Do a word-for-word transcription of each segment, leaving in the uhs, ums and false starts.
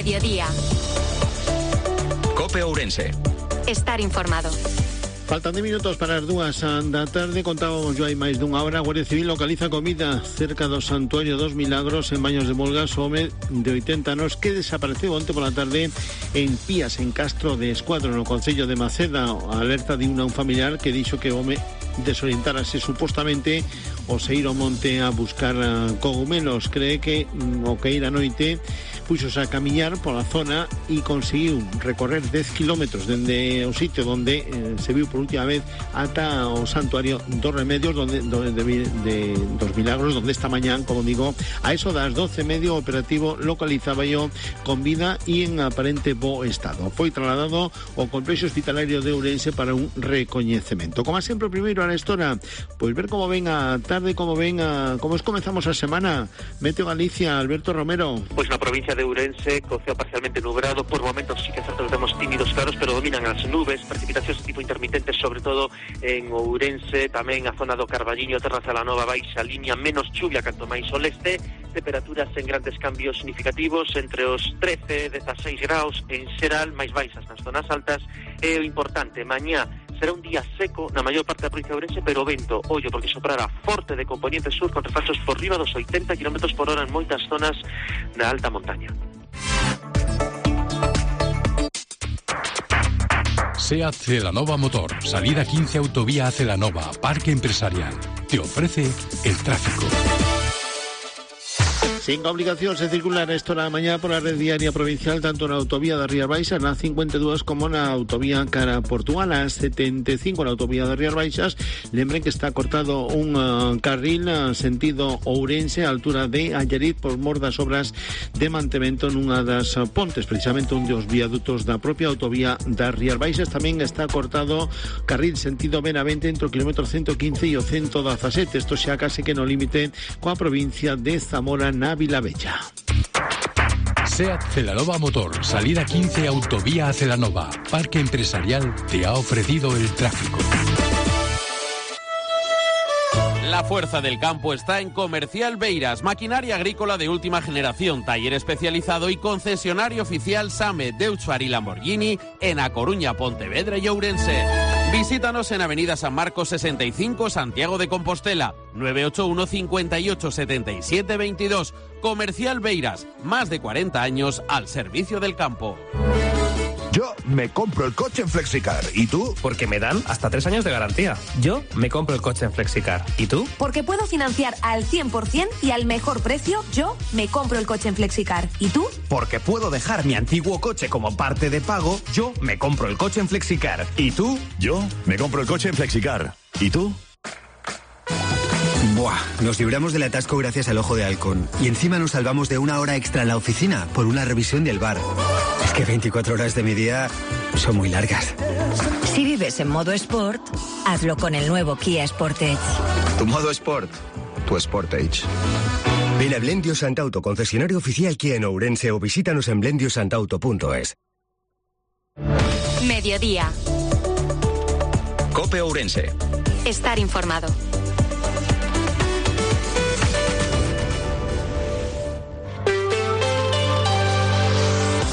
Mediodía. Cope Ourense. Estar informado. Faltan de minutos para as dúas da tarde. Contábamos yo hai máis dunha hora. A Guardia Civil localiza con vida cerca do Santuario dos Milagros en Baños de Molgas o home de oitenta anos que desapareceu onte pola tarde en Pías, en Castro de Escuadro, no concello de Maceda. A alerta de un familiar que dixo que o home desorientárase supostamente o se ir ao monte a buscar cogumelos. Cree que o que ir a noite puxos a camiñar pola zona e conseguiu recorrer dez kilómetros dende o sitio onde eh, se viu por última vez ata o Santuario dos Remedios donde, donde de, de, dos Milagros, donde esta mañán, como digo, a eso das doce e medio operativo localizaba yo con vida e en aparente bo estado. Foi trasladado ao complexo hospitalario de Ourense para un recoñecemento. Como sempre, primeiro a esta hora, pois ver como ven a tarde, como ven a, como es comezamos a semana. Meteo Galicia, Alberto Romero. Pois na provincia de Ourense, co ceo parcialmente nublado, por momentos sí que certo temos tímidos claros, pero dominan as nubes, precipitacións de tipo intermitente, sobre todo en Ourense, tamén a zona do Carballiño, Terra Celanova, baixa línea, menos chuvia canto máis ao leste, temperaturas en grandes cambios significativos, entre os trece e dezaseis graus en xeral, máis baixas nas zonas altas. É o importante, mañá será un día seco na maior parte da provincia de Ourense, pero o vento, ollo, porque soprará forte de componente sur con refalsos por riba dos oitenta kilómetros por hora en moitas zonas da alta montaña. SEAT Celanova Motor, salida quince autovía a Celanova, Parque Empresarial. Te ofrece el tráfico. Sin obligacións de circular esta hora da mañá pola red viaria provincial, tanto na autovía da Rías Baixas, na cincuenta e dúas, como na autovía cara a Portugal, a setenta e cinco na autovía da Rías Baixas. Lembren que está cortado un uh, carril uh, sentido Ourense, a altura de Allariz, por mor das obras de mantemento nunha das uh, pontes, precisamente un dos viadutos da propia autovía das Rías Baixas. Tamén está cortado carril sentido Benavente entre o kilómetro ciento quince e o ciento dezasete. Isto xa case que no límite coa provincia de Zamora na Vilavella. SEAT Celanova Motor, salida quince autovía a Celanova, Parque Empresarial te ha ofrecido el tráfico. La fuerza del campo está en Comercial Beiras, maquinaria agrícola de última generación, taller especializado y concesionario oficial SAME, Deutscher y Lamborghini en A Coruña, Pontevedra y Ourense. Visítanos en Avenida San Marcos sesenta y cinco, Santiago de Compostela, nueve ocho uno, cinco ocho, siete siete dos dos. Comercial Beiras, más de cuarenta años al servicio del campo. Yo me compro el coche en Flexicar. ¿Y tú? Porque me dan hasta tres años de garantía. Yo me compro el coche en Flexicar. ¿Y tú? Porque puedo financiar al cien por ciento y al mejor precio. Yo me compro el coche en Flexicar. ¿Y tú? Porque puedo dejar mi antiguo coche como parte de pago. Yo me compro el coche en Flexicar. ¿Y tú? Yo me compro el coche en Flexicar. ¿Y tú? Buah, nos libramos del atasco gracias al Ojo de Halcón. Y encima nos salvamos de una hora extra en la oficina por una revisión del bar. Es que veinticuatro horas de mi día son muy largas. Si vives en modo Sport, hazlo con el nuevo Kia Sportage. Tu modo Sport, tu Sportage. Ven a Blendio Santauto, concesionario oficial Kia en Ourense, o visítanos en blendio santauto punto es. Mediodía. Cope Ourense. Estar informado.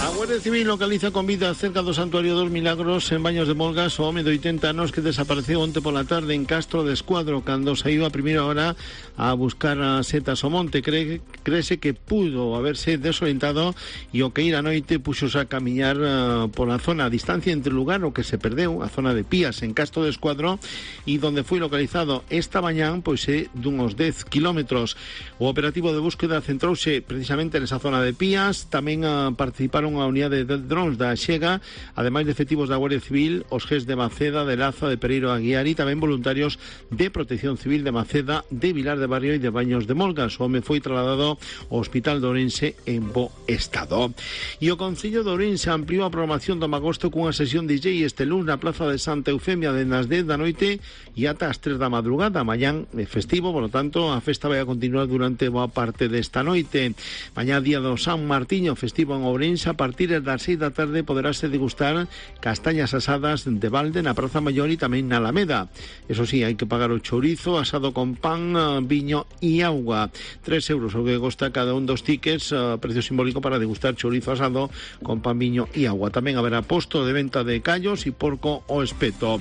A Guardia Civil localiza con vida cerca do Santuario dos Milagros en Baños de Molgas o home de oitenta anos que desapareceu onte pola tarde en Castro de Escuadro cando saiu a primeira hora a buscar as setas ao monte. Cree, creese que pudo haberse desorientado e o que ir a noite puxos a camiñar uh, pola zona a distancia entre o lugar o que se perdeu, a zona de Pías en Castro de Escuadro, e donde foi localizado esta mañán pois é dunhos dez kilómetros. O operativo de búsqueda centrouse precisamente nesa zona de Pías. Tamén uh, participaron a unidade de drones da Xega, ademais de efectivos da Guardia Civil, os G E S de Maceda, de Laza, de Pereiro Aguiar e tamén voluntarios de Protección Civil de Maceda, de Vilar de Barrio e de Baños de Molgas. O home foi trasladado ao Hospital de Ourense en bo estado. E o Concello de Ourense ampliou a programación do Magosto cunha sesión de D J este lunes na Plaza de Santa Eufemia de nas dez da noite e ata as tres da madrugada. Mañán é festivo, por lo tanto, a festa vai a continuar durante boa parte desta noite. Mañá día do San Martiño, festivo en Ourense, a partir partir das seis da tarde poderase degustar castañas asadas de balde na Praza Maior e tamén na Alameda. Eso sí, hai que pagar o chourizo asado con pan, viño e agua. Tres euros o que costa cada un dos tickets, uh, precio simbólico para degustar chourizo asado con pan, viño e agua. Tamén haberá posto de venta de callos e porco o espeto.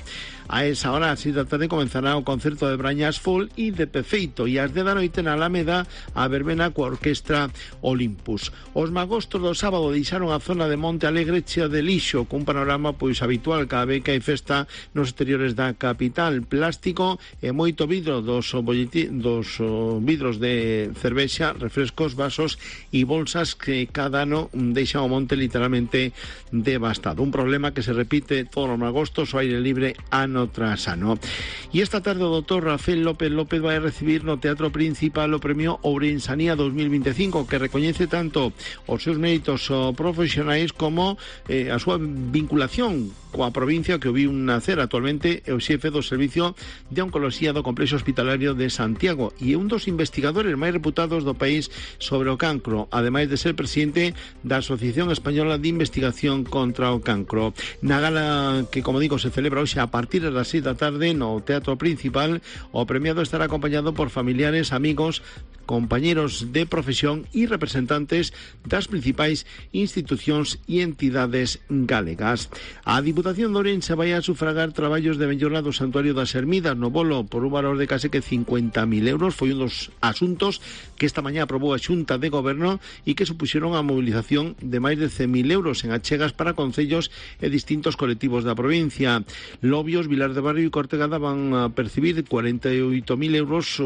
A esa hora, a seis da tarde, comenzará o concerto de Brañas Folk e de Pefeito, e ás dez da noite na Alameda a verbena coa orquestra Olympus. Os magostos do sábado deixaron a zona de Monte Alegre chea de lixo, cun panorama pois habitual cada vez que hai festa nos exteriores da capital. Plástico e moito vidro dos, bolleti, dos oh, vidros de cervexa, refrescos, vasos e bolsas que cada ano deixan o monte literalmente devastado. Un problema que se repite todos os magostos ao aire libre ano tras ano. E esta tarde o doutor Rafael López López vai recibir no Teatro Principal o premio Ourensanía dos mil vinte e cinco, que recoñece tanto os seus méritos profesionais como eh, a súa vinculación coa provincia que o viu nacer. Actualmente é o xefe do Servicio de Oncoloxía do Complexo Hospitalario de Santiago e é un dos investigadores máis reputados do país sobre o cancro, ademais de ser presidente da Asociación Española de Investigación contra o Cancro. Na gala que, como digo, se celebra hoxe a partir das seis da tarde no Teatro Principal, o premiado estará acompañado por familiares, amigos, compañeros de profesión e representantes das principais institucións e entidades galegas. A Diputación de Ourense vai a sufragar traballos de mellora do Santuario das Ermidas no Bolo por un valor de case que cincuenta mil euros. Foi un dos asuntos que esta mañá aprobou a Xunta de Goberno e que supuxeron a mobilización de máis de cen mil euros en achegas para concellos e distintos colectivos da provincia. Lobios, Vilar de Barrio e Cortegada van a percibir cuarenta e oito mil euros,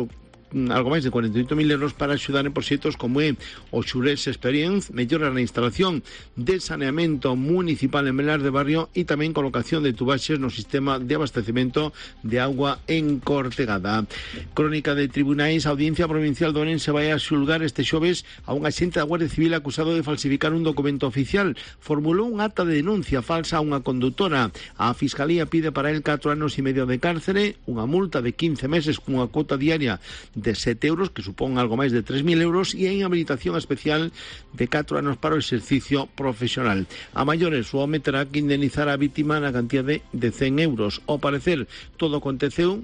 algo máis de cuarenta e oito mil euros para axudar en proxectos como é o Xurés Experience, mellora na instalación de saneamento municipal en Vilar de Barrio e tamén colocación de tubaxes no sistema de abastecemento de agua en Cortegada. Crónica de tribunais, a Audiencia Provincial de Ourense vai a xulgar este xoves a un axente da Guardia Civil acusado de falsificar un documento oficial. Formulou un acta de denuncia falsa a unha conductora. A Fiscalía pide para el catro anos e medio de cárcere, unha multa de quince meses cunha cuota diaria de sete euros, que supón algo máis de tres mil euros, e a inhabilitación especial de catro anos para o exercicio profesional. A maiores, o home terá que indemnizar a vítima na cantidad de, de cen euros. Ao parecer, todo aconteceu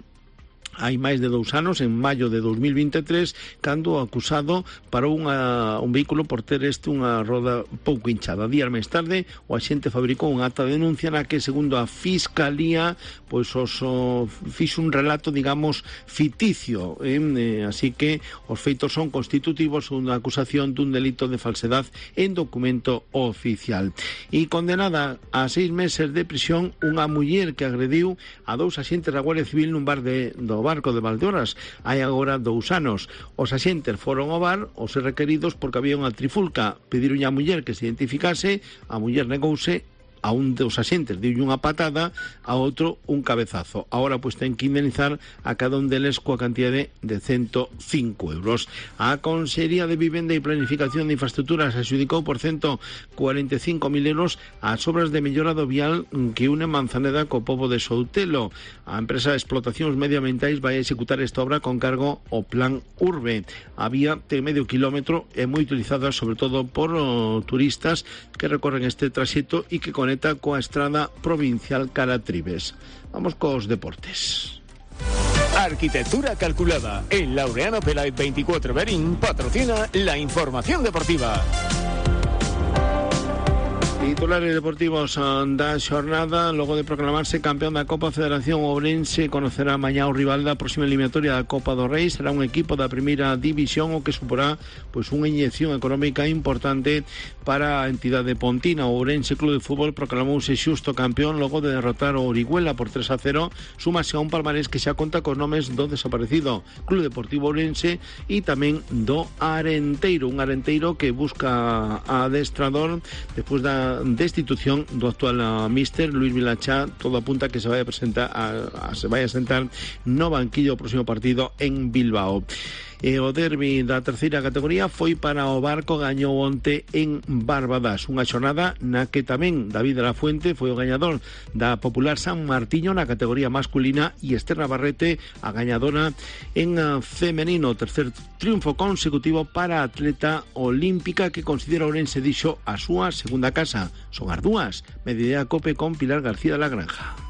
hai máis de dous anos, en maio de dos mil vinte e tres, cando o acusado parou unha, un vehículo por ter este unha roda pouco hinchada. Días máis tarde, o axente fabricou un acta de denuncia na que, segundo a Fiscalía, pois os o, fixo un relato, digamos, ficticio, eh? Eh, así que os feitos son constitutivos unha acusación dun delito de falsedad en documento oficial. E condenada a seis meses de prisión unha muller que agrediu a dous axentes da Guardia Civil nun bar de, do Barco de Valdeorras hai agora dous anos. Os axentes foron ao bar os requeridos porque había unha trifulca. Pediron a muller que se identificase, a muller negouse, a un dos axentes deu unha patada, a outro un cabezazo. Agora pois ten que indemnizar a cada un deles coa cantidade de ciento cinco euros. A Consellería de Vivenda e Planificación de Infraestructuras adxudicou por ciento cuarenta e cinco mil euros as obras de mellora do vial que une Manzaneda co pobo de Soutelo. A empresa de explotacións medioambientais vai executar esta obra con cargo ao Plan Urbe. A vía ten medio kilómetro e moi utilizada sobre todo por oh, turistas que recorren este traxecto e que conecta coa estrada provincial Caratribes. Vamos cos deportes. Arquitectura calculada. El Laureano Peláez veinticuatro Berín patrocina la información deportiva. Titulares deportivos da xornada. Logo de proclamarse campeón da Copa Federación, Ourense conocerá mañá o rival da próxima eliminatoria da Copa do Rei. Será un equipo da primeira división, o que suporá pois unha inyección económica importante para a entidade pontina. O Ourense Club de Fútbol proclamouse xusto campeón logo de derrotar o Orihuela por tres a cero. Súmase a un palmarés que xa conta cos nomes do desaparecido Club Deportivo Ourense e tamén do Arenteiro, un Arenteiro que busca a adestrador despois da destitución do actual uh, míster Luis Vilachá. Todo apunta que se vai a presentar a, a, se vai a sentar no banquillo o próximo partido en Bilbao. E o derbi da terceira categoría foi para o Barco, gañou onte en Barbadas, unha xornada na que tamén David de la Fuente foi o gañador da Popular San Martiño na categoría masculina e Esther Navarrete a gañadora en femenino. Tercer triunfo consecutivo para a atleta olímpica que considera Ourense dixo a súa segunda casa. Son as dúas. Mediodía Cope con Pilar García de la Granja.